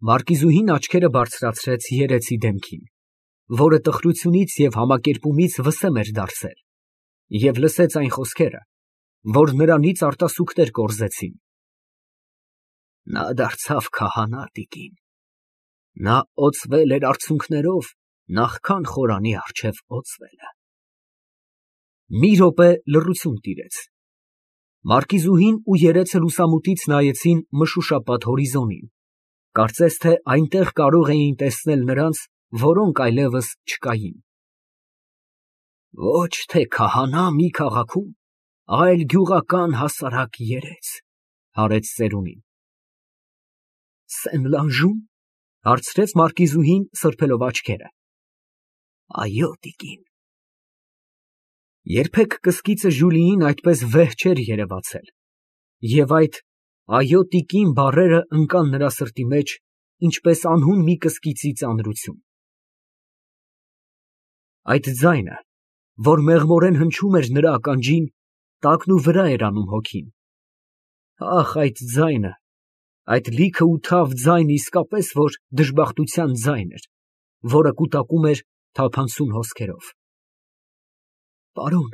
Մարկիզուհին աչքերը բարձրացրեց երեցի դեմքին, որը տխրությունից և համակերպումից վսեմ էր դարձել, և լսեց այն խոսքերը, որ նրանից արտասուքներ կորզեցին. նա դարձավ քահանա, տիկին, նա օծվել էր արցունքներով, նախքան խորանի առջև օծվելը։ Մի րոպե լռություն տիրեց. Մարկիզուհին ու երեցը լուսամուտից նայեցին մշուշապատ հորիզոնին, կարծես թե այնտեղ կարող էին տեսնել նրանց, որոնք այլևս չկային։ Ոչ թե քահանա մի քաղաքում, այլ գյուղական հասարակ երեց, հարեց ծերունին։ Սեն֊Լանժո՞ւմ, հարցրեց մարկիզուհին սրբելով աչքերը։ Այո, տիկին։ Երբեք կսկիծը Ժուլիին այդպես վեհ չէր երևացել, և այդ «այո, տիկին» բառերը ընկան նրա սրտի մեջ, ինչպես անհուն մի կսկիծի ծանրություն։ Այդ ձայնը, որ մեղմորեն հնչում էր նրա ականջին, տակնուվրա էր անում հոգին։ Ահ, այդ ձայնը, այդ լիքը ու թավ ձայնը իսկապես որ դժբախտության ձայն էր, որը կուտակում էր թափանցուն հոսքերով։ Պարոն,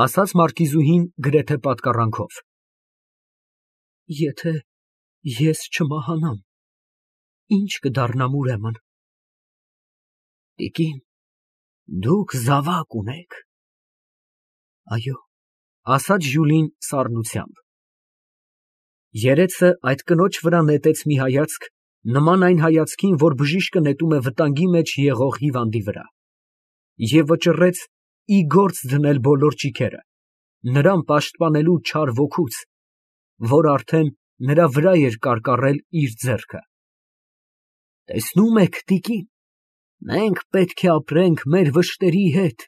ասաց մարկիզուհին գրեթե պատկառանքով, եթե ես չմահանամ, ի՞նչ կդառնամ ուրեմն։ Տիկին, դուք զավակ ունեք։ Այո, ասաց Ժուլին սառնությամբ։ Երեցը այդ կնոջ վրա նետեց մի հայացք, նման այն հայացքին, որ բժիշկը նետում է վտանգի մեջ եղող հիվանդի վրա, և վճռեց ի գործ դնել բոլոր ճիգերը, նրան պաշտպանելու չար ոգուց, որ արդեն նրա վրա էր կարկառել իր ձեռքը։ Տեսնում եք, տիկին, մենք պետք է ապրենք մեր վշտերի հետ,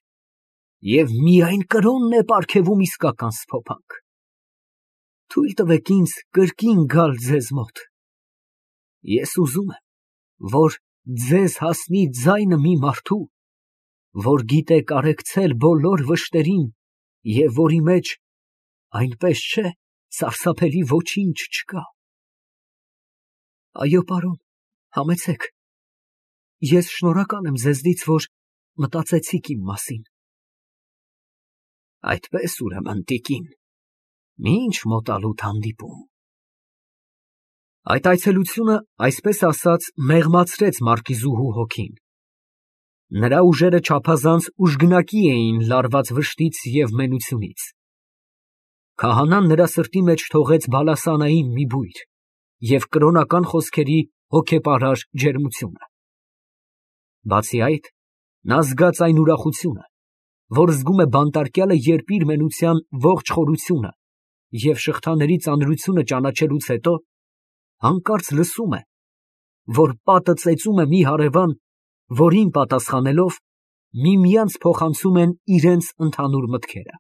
և միայն կրոնն է պարգևում իսկական սփոփանք։ Թույլ տվեք ինձ կրկին գալ ձեզ մոտ։ Ես ուզում եմ, որ ձեզ հասնի ձայնը մի մարդու, որ գիտե կարեկցել բոլոր վշտերին և որի մեջ, այնպես չէ, սարսափելի ոչինչ չկա։ Այո, պարոն, համեցեք։ Ես շնորհակալ եմ ձեզնից, որ մտածեցիք իմ մասին։ Այդպես ուրեմն, տիկին, մինչ մոտալուտ հանդիպում։ Այդ այցելությունը, այսպես ասած, մեղմացրեց մարկիզուհու հոգին։ Նրա ուժերը չափազանց ուժգնակի էին լարված վշտից և մենությունից։ Քահանան նրա սրտի մեջ թողեց բալասանային մի բույր և կրոնական խոսքերի հոգեպարար ջերմությունը։ Բացի այդ, նա զգաց այն ուրախությունը, որ զգում է բանտարկյալը, երբ իր մենության ողջ խորությունը և շղթաների ծանրությունը ճանաչելուց հետո, հանկարծ լսում է, որ պատը ծեծում է մի հարևան, որին պատասխանելով, միմյանց փոխանցում են իրենց ընդհանուր մտքերը։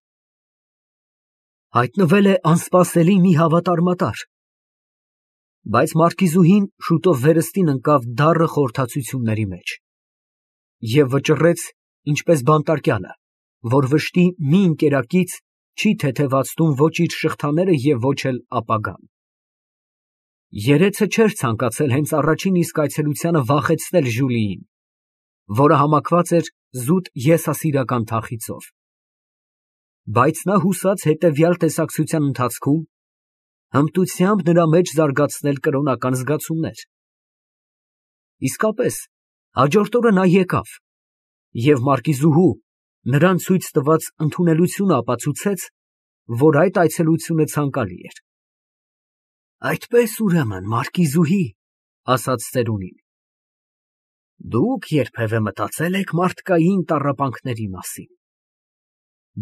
Հայտնվել է անսպասելի մի հավատարմատար, բայց մարկիզուհին շուտով վերստին ընկավ դառը խորհրդածությունների մեջ և վճռեց, ինչպես բանտարկյալը, որ վշտի մի ընկերակից չի թեթևացնում ոչ իր շղթաները և ոչ էլ ապագան։ Երեցը չէր ցանկացել հենց առաջին իսկ այցելությանը վախեցնել Ժուլիին, որը համակված էր զուտ եսասիրական թախիծով։ Բայց նա հուսաց հետևյալ տեսակցության ընթացքում հմտությամբ նրա մեջ զարգացնել կրոնական զգացումներ։ Իսկապես, հաջորդ օրը նա եկավ, և մարկիզուհու նրան ցույց տված ընդունելությունը ապացուցեց, որ այդ այցելությունը ցանկալի էր։ Այդպես ուրեմն, մարկիզուհի, ասաց ծերունին, դուք երբևէ մտածե՞լ եք մարդկային տառապանքների մասին,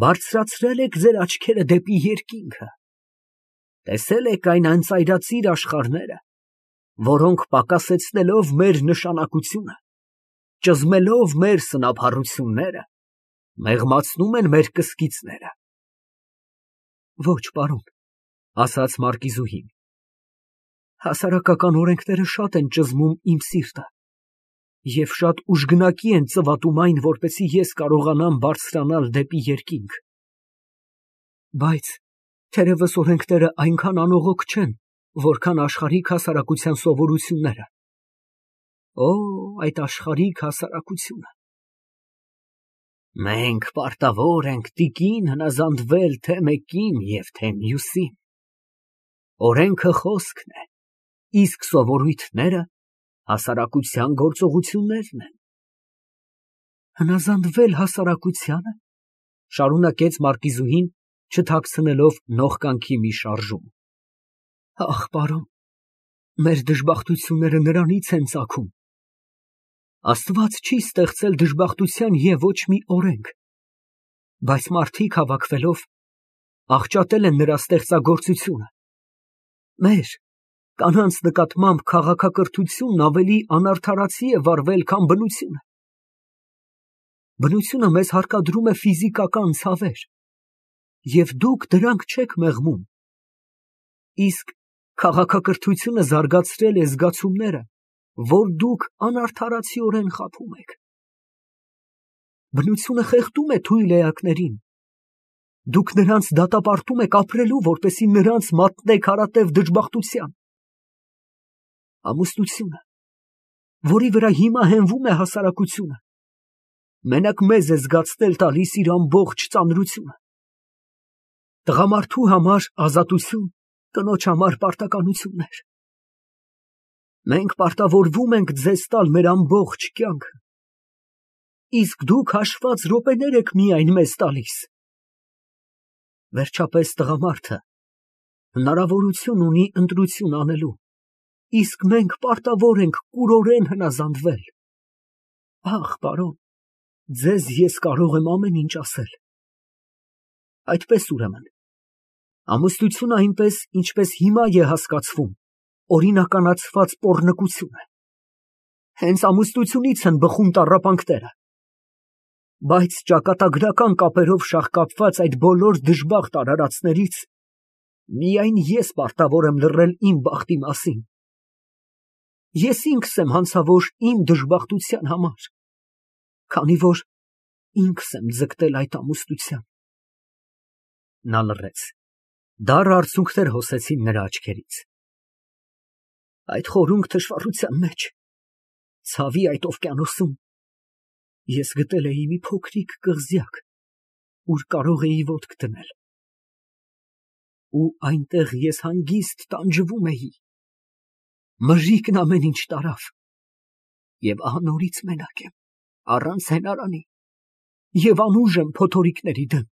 բարձրացրե՞լ եք ձեր աչքերը դեպի երկինքը, տեսե՞լ եք այն անծայրածիր աշխարհները, որոնք պակասեցնելով մեր նշանակությունը, ճզմելով մեր սնափառությունները, մեղմացնում են մեր կսկիծները։ Ոչ, պարոն, ասաց մարկիզուհին, հասարակական օրենքները շատ են ճզմում իմ սիրտը և շատ ուժգնակի են ծվատում այն, որպեսզի ես կարողանամ բարձրանալ դեպի երկինք։ Բայց թերևս օրենքները այնքան անողոք չեն, որքան աշխարհիկ հասարակության սովորությունները, Օ, այդ աշխարհիկ հասարակությունը։ Մենք պարտավոր ենք տիկին հնազանդվել թե մեկին և թե մյուսին։ Օրենքը խոսքն է, իսկ սովորույթները հասարակության գործողություններն են։ Հնազանդվել հասարակությանը, շարունակեց մարկիզուհին, չթաքցնելով նողկանքի մի շարժում։ Ախ, պարոն, մեր դժբախտությունները նրանից են ծագում։ Աստված չի ստեղծել դժբախտության և ոչ մի օրենք, բայց մարդիկ հավաքվելով աղճատել են նրա ստեղծագործությունը։ Մեր կանանց նկատմամբ քաղաքակրթությունն ավելի անարդարացի է վարվել, քան բնությունը։ Բնությունը մեզ հարկադրում է ֆիզիկական ցավեր, և դուք դրանք չեք մեղմում, իսկ քաղաքակրթությունը զարգացրել է զգացումները, որ դուք անարդարացիորեն խաբում եք։ Բնությունը խեղդում է թույլ էակներին, դուք նրանց դատապարտում եք ապրելու, որպեսզի նրանց մատնեք հարատև դժբախտության։ Ամուսնությունը, որի վրա հիմա հենվում է հասարակությունը, մենակ մեզ է զգացնել տալիս իր ամբողջ ծանրությունը։ Տղամարդու համար ազատություն, կնոջ համար պարտականություններ։ Մենք պարտավորվում ենք ձեզ տալ մեր ամբողջ կյանքը, իսկ դուք հաշված րոպեներ եք միայն մեզ տալիս։ Վերջապես տղամարդը հնարավորություն ունի ընտրություն անելու, իսկ մենք պարտավոր ենք կուրորեն հնազանդվել։ Ախ, պարոն, ձեզ ես կարող եմ ամեն ինչ ասել։ Այդպես ուրեմն, ամուսնությունը այնպես, ինչպես հիմա է հասկացվում, օրինականացված պոռնկություն է։ Հենց ամուսնությունից են բխում տառապանքները։ Բայց ճակատագրական կապերով շաղկապված այդ բոլոր դժբախտ արարածներից միայն ես պարտավոր եմ լռել իմ բախտի մասին։ Ես ինքս եմ հանցավոր իմ դժբախտության համար, քանի որ ինքս եմ ձգտել այդ ամուսնության։ Նա լռեց։ Դառը արցունքներ հոսեցին նրա աչքերից։ Այդ խորունկ թշվառության մեջ, ցավի այդ օվկիանոսում, ես գտել էի մի փոքրիկ կղզյակ, ուր կարող էի ոտք դնել։ Ու այնտեղ ես հանգիստ տանջվում էի։ Մժիկն ամեն ինչ տարավ, և ահա նորից մենակ եմ, առանց հենարանի, և անուժ եմ փոթորիկների դեմ։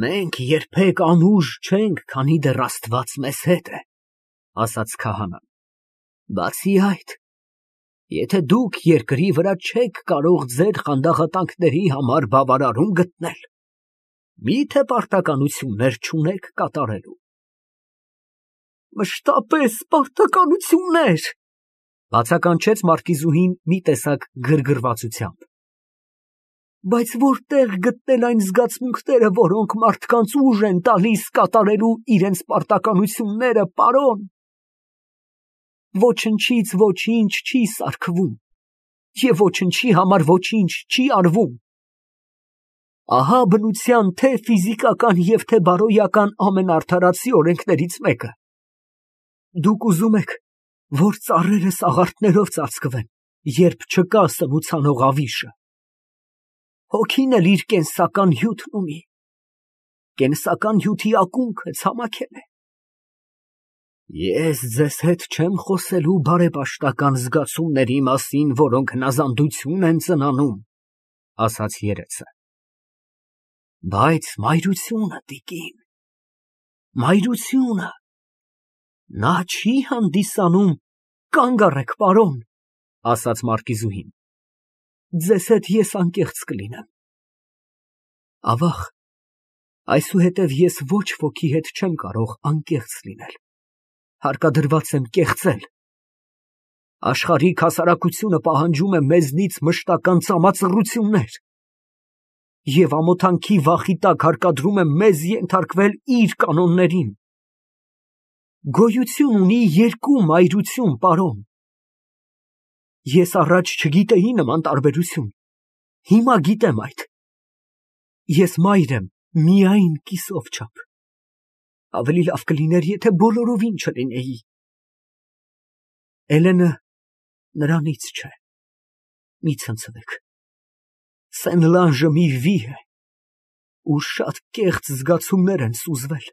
Մենք երբեք անուժ չենք, քանի դեռ Աստված մեզ հետ է, ասաց քահանան։ Բացի այդ, եթե դուք երկրի վրա չեք կարող ձեր խանդաղատանքների համար բավարարում գտնել, մի՞թե պարտականություններ չունեք կատարելու։ Մշտապես պարտականություններ, բացականչեց մարկիզուհին մի տեսակ գրգռվածությամբ։ Բայց որտեղ գտնել այն զգացմունքները, որոնք մարդկանց ուժ են տալիս կատարելու իրենց պարտականությունները, պարոն։ Ոչնչից ոչինչ չի սարքվում, և ոչնչի համար ոչինչ չի արվում։ Ահա բնության թե ֆիզիկական և թե բարոյական ամենաարդարացի օրենքներից մեկը։ Դուք ուզում եք, որ ծառերը սաղարթներով ծածկվեն, երբ չկա սնուցանող ավիշը։ Հոգին էլ իր կենսական հյութն ունի։ Կենսական հյութի ակունքը ցամաքել է։ Ես ձեզ հետ չեմ խոսելու բարեպաշտական զգացումների մասին, որոնք հնազանդություն են ծնանում, ասաց երեցը։ Բայց մայրությունը, տիկին, մայրությունը, նա չի հանդիսանում, կանգ առեք, պարոն, ասաց մարկիզուհին։ Ձեզ հետ ես անկեղծ կլինեմ։ Ավաղ, այսուհետև ես ոչ ոքի հետ չեմ կարող անկեղծ լինել, հարկադրված եմ կեղծել։ Աշխարհիկ հասարակությունը պահանջում է մեզնից մշտական ծամածռություններ, և ամոթանքի վախի տակ հարկադրում է մեզ ենթարկվել իր կանոններին։ Գոյություն ունի երկու մայրություն, պարոն։ Ես առաջ չգիտեի նման տարբերություն, հիմա գիտեմ այդ։ Ես մայր եմ միայն կիսով չափ։ Ավելի լավ կլիներ, եթե բոլորովին չլինեի։ Էլենը Նրանից չէ։ Մի ցնցվեք։ Սենլանժը մի վի է, ու շատ կեղծ զգացումներ են սուզվել,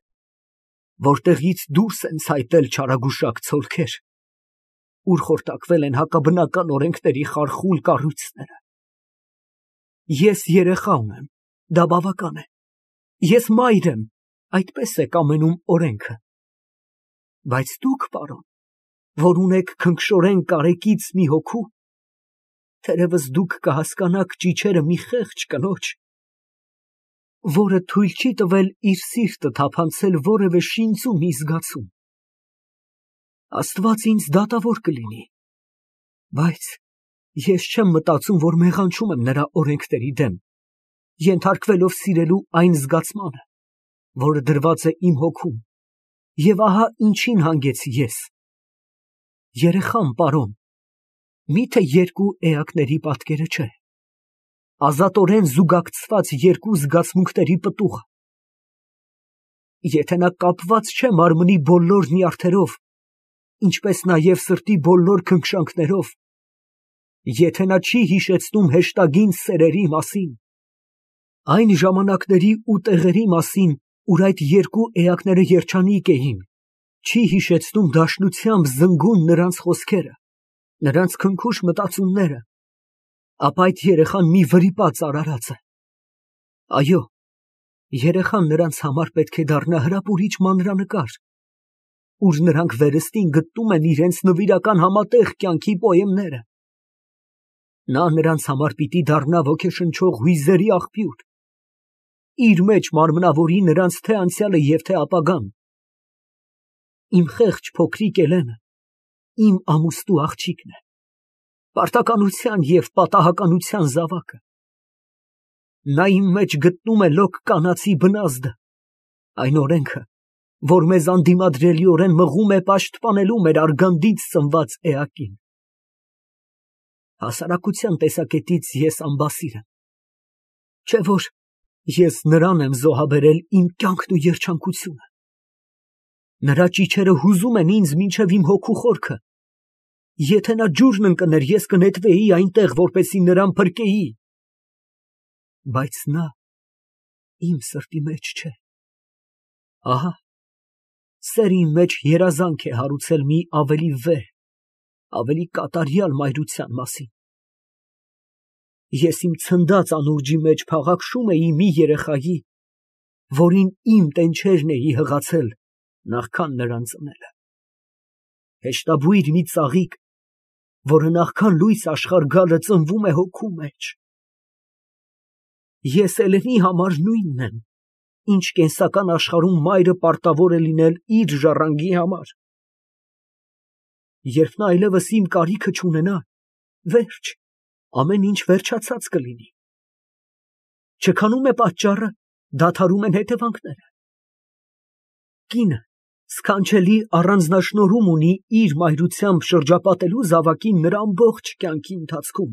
որտեղից դուրս են ցայտել չարագուշակ ցոլքեր, ուր խորտակվել են հակաբնական օրենքների խարխուլ կառույցները։ Ես երեխա ունեմ, դա բավական է։ Ես մայր եմ, այդպես է կամենում օրենքը։ Բայց դուք, պարոն, որ ունեք քնքշորեն կարեկից մի հոգու, թերևս դուք կհասկանաք ճիչերը մի խեղճ կնոջ, որը թույլ չի տվել իր սիրտը թափանցել որևէ շինծու մի զգացում։ Աստված ինձ դատավոր կլինի, բայց ես չեմ մտածում, որ մեղանչում եմ նրա օրենքների դեմ, ենթարկվելով սիրելու այն զգացմանը, որը դրված է իմ հոգում, և ահա ինչին հանգեցի ես։ Երեխան, պարոն, միթե երկու էակների պատկերը չէ, ազատորեն զուգակցված երկու զգացմունքների պտուղը։ Եթե նա կապված չէ մարմնի բոլոր նյարդերով, ինչպես նաև սրտի բոլոր քնքշանքներով, եթե նա չի հիշեցնում հեշտագին սերերի մասին, այն ժամանակների ու տեղերի մասին, ուր այդ երկու էակները երջանիկ էին, չի հիշեցնում դաշնությամբ զնգուն նրանց խոսքերը, նրանց քնքուշ մտածումները, ապա այդ երեխան մի վրիպած արարած է։ Այո, երեխան նրանց համար պետք է դառնա հրապուրիչ մանրանկար, ուր նրանք վերստին գտնում են իրենց նվիրական համատեղ կյանքի պոեմները։ Նա նրանց համար պիտի դառնա ոգեշնչող հույզերի աղբյուր, իր մեջ մարմնավորի նրանց թե անցյալը և թե ապագան։ Իմ խեղճ փոքրիկ Էլենը իմ ամուսնու աղջիկն է, պարտականության և պատահականության զավակը։ Նա իմ մեջ գտնում է լոկ կանացի բնազդը, այն օրենքը, որ մեզ անդիմադրելիորեն մղում է պաշտպանելու մեր արգանդից ծնված էակին։ Հասարակության տեսակետից ես անբասիր եմ, չէ՞ որ ես նրան եմ զոհաբերել իմ կյանքն ու երջանկությունը։ Նրա ճիչերը հուզում են ինձ մինչև իմ հոգու խորքը։ Եթե նա ջուրն ընկներ, ես կնետվեի այնտեղ, որպեսզի նրան փրկեի։ Բայց նա իմ սրտի մեջ չէ։ Ահա, սերը իմ մեջ երազանք է հարուցել մի ավելի վեհ, ավելի կատարյալ մայրության մասին։ Ես իմ ցնդած անուրջի մեջ փաղաքշում էի մի երեխայի, որին իմ տենչերն էի հղացել նախքան նրան ծնելը։ Հեշտաբույր մի ծաղիկ, որը նախքան լույս աշխարհ գալը ծնվում է հոգու մեջ։ Ես Էլենի համար նույնն եմ, ինչ կենսական աշխարհում մայրը պարտավոր է լինել իր ժառանգի համար։ Երբ նա այլևս իմ կարիքը չունենա, վերջ, ամեն ինչ վերջացած կլինի։ Չքանում է պատճառը, դադարում են հետևանքները։ Կինը սքանչելի առանձնաշնորհում ունի իր մայրությամբ շրջապատելու զավակին նրա ամբողջ կյանքի ընթացքում։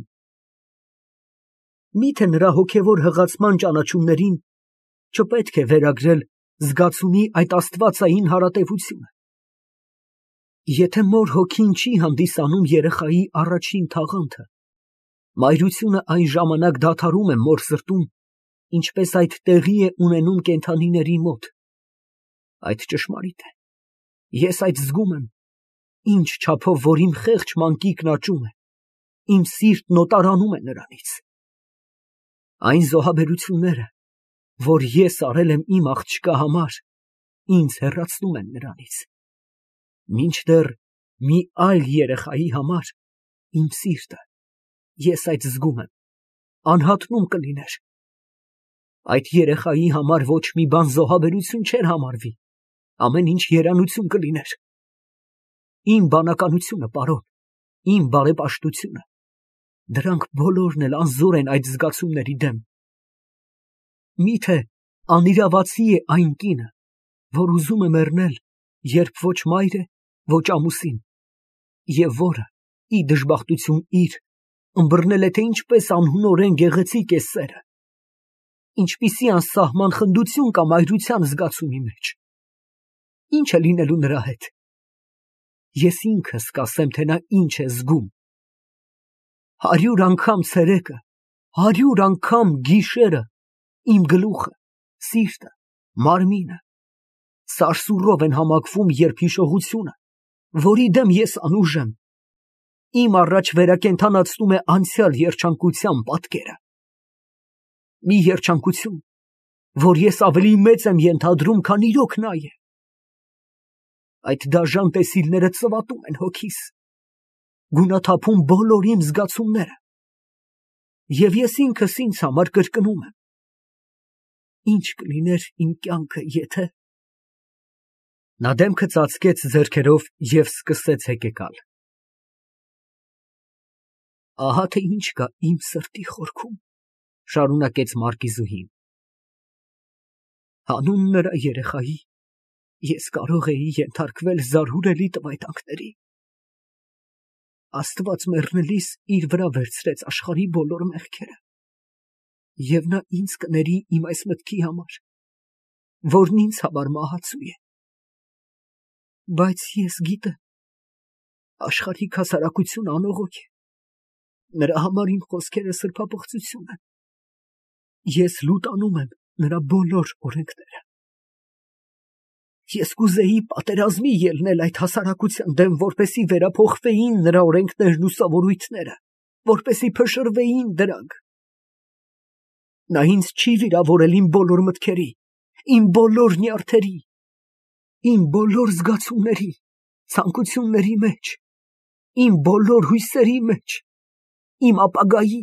Միթե նրա հոգևոր հղացման ճանաչումներին չպետք է վերագրել զգացումի այդ աստվածային հարատևությունը։ Եթե մոր հոգին չի հանդիսանում երեխայի առաջին թաղանթը, մայրությունը այն ժամանակ դադարում է մոր սրտում, ինչպես այդ տեղի է ունենում կենդանիների մոտ։ Այդ ճշմարիտ է։ Ես այդ զգում եմ, ինչ չափով որ իմ խեղճ մանկիկն աճում է, իմ սիրտն օտարանում է նրանից։ Այն զոհաբերությունները, որ ես արել եմ իմ աղջկա համար, ինձ հեռացնում են նրանից։ Մինչդեռ մի այլ երեխայի համար իմ սիրտը, ես այդ զգում եմ, անհատնում կլիներ։ Այդ երեխայի համար ոչ մի բան զոհաբերություն չէր համարվի, ամեն ինչ երանություն կլիներ։ Իմ բանականությունը, պարոն, իմ բարեպաշտությունը, դրանք բոլորն էլ անզոր են այդ զգացումների դեմ։ Միթե անիրավացի է այն կինը, որ ուզում է մեռնել, երբ ոչ մայր է, ոչ ամուսին, և որը, ի դժբախտություն իր, ըմբռնել է, թե ինչպես անհունորեն գեղեցիկ է սերը, ինչպիսի անսահման խնդություն կա մայրության զգացումի մեջ։ Ինչ է լինելու նրա հետ։ Ես ինքս կասեմ, թե նա ինչ է զգում, 100 անգամ ցերեկը, 100 անգամ գիշերը, իմ գլուխը, սիրտը, մարմինը սարսուռով են համակվում, երբ հիշողությունը, որի դեմ ես անուժ եմ, իմ առաջ վերակենդանացնում է անցյալ երջանկության պատկերը։ Մի երջանկություն, որ ես ավելի մեծ եմ ենթադրում, քան իրոք նա է։ Այդ դաժան տեսիլները ծվատում են հոգիս, գունաթափում բոլոր իմ զգացումները, և ես ինքս ինձ համար կրկնում եմ. ինչ կլիներ իմ կյանքը, եթե… Նա դեմքը ծածկեց ձեռքերով և սկսեց հեկեկալ։ Ահա թե ինչ կա իմ սրտի խորքում, շարունակեց մարկիզուհին, հանուն նրա երեխայի ես կարող էի ենթարկվել զարհուրելի տվայտանքների։ Աստված մեռնելիս իր վրա վերցրեց աշխարհի բոլոր մեղքերը, և նա ինձ կների իմ այս մտքի համար, որն ինձ համար մահացու է։ Բայց ես գիտեմ, աշխարհիկ հասարակությունը անողոք է, նրա համար իմ խոսքերը սրբապղծություն են։ Ես լուտանում եմ նրա բոլոր օրենքները։ Ես կուզեի պատերազմի ելնել այդ հասարակության դեմ, որպեսզի վերափոխվեին նրա օրենքներն ու սովորույթները, որպեսզի փշրվեին դրանք։ Նա ինձ չի վիրավորել իմ բոլոր մտքերի, իմ բոլոր նյարդերի, իմ բոլոր զգացումների, ցանկությունների մեջ, իմ բոլոր հույսերի մեջ, իմ ապագայի,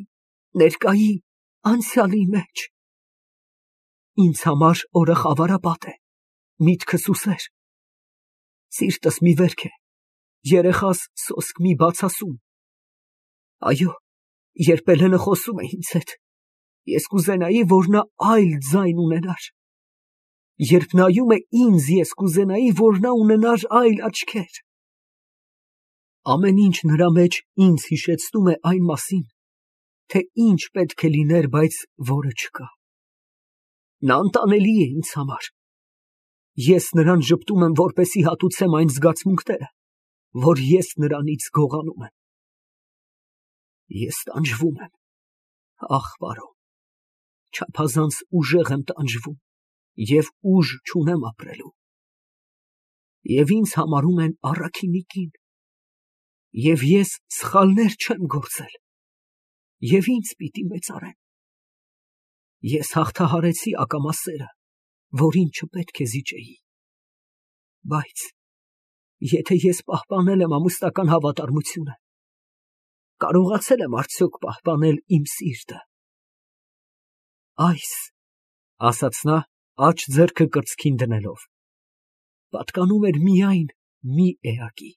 ներկայի, անցյալի մեջ։ Ինձ համար օրը խավարապատ է, միտքս ուսեր, սիրտս մի վերք է, երեխաս սոսկ մի բացասում։ Այո, երբ Էլենը խոսում է ինձ հետ, ես կուզենայի, որ նա այլ ձայն ունենար։ Երբ նայում է ինձ, ես կուզենայի, որ նա ունենար այլ աչքեր։ Ամեն ինչ նրա մեջ ինձ հիշեցնում է այն մասին, թե ինչ պետք է լիներ, բայց որը չկա։ Նա անտանելի է ինձ համար։ Ես նրան ժպտում եմ, որպեսզի հատուցեմ այն զգացմունքները, որ ես նրանից գողանում եմ։ Ես տանջվում եմ, ախ, պարոն, չափազանց ուժեղ եմ տանջվում և ուժ չունեմ ապրելու։ Եվ ինձ համարում են առաքինի կին, և ես սխալներ չեմ գործել, և ինձ պիտի մեծարեն։ Ես հաղթահարեցի ակամա սերը, որին չպետք է զիջեի։ Բայց եթե ես պահպանել եմ ամուսնական հավատարմությունը, կարողացել եմ արդյոք պահպանել իմ սիրտը։ Այս, ասաց նա, աջ ձեռքը կրծքին դնելով, պատկանում էր միայն մի էակի։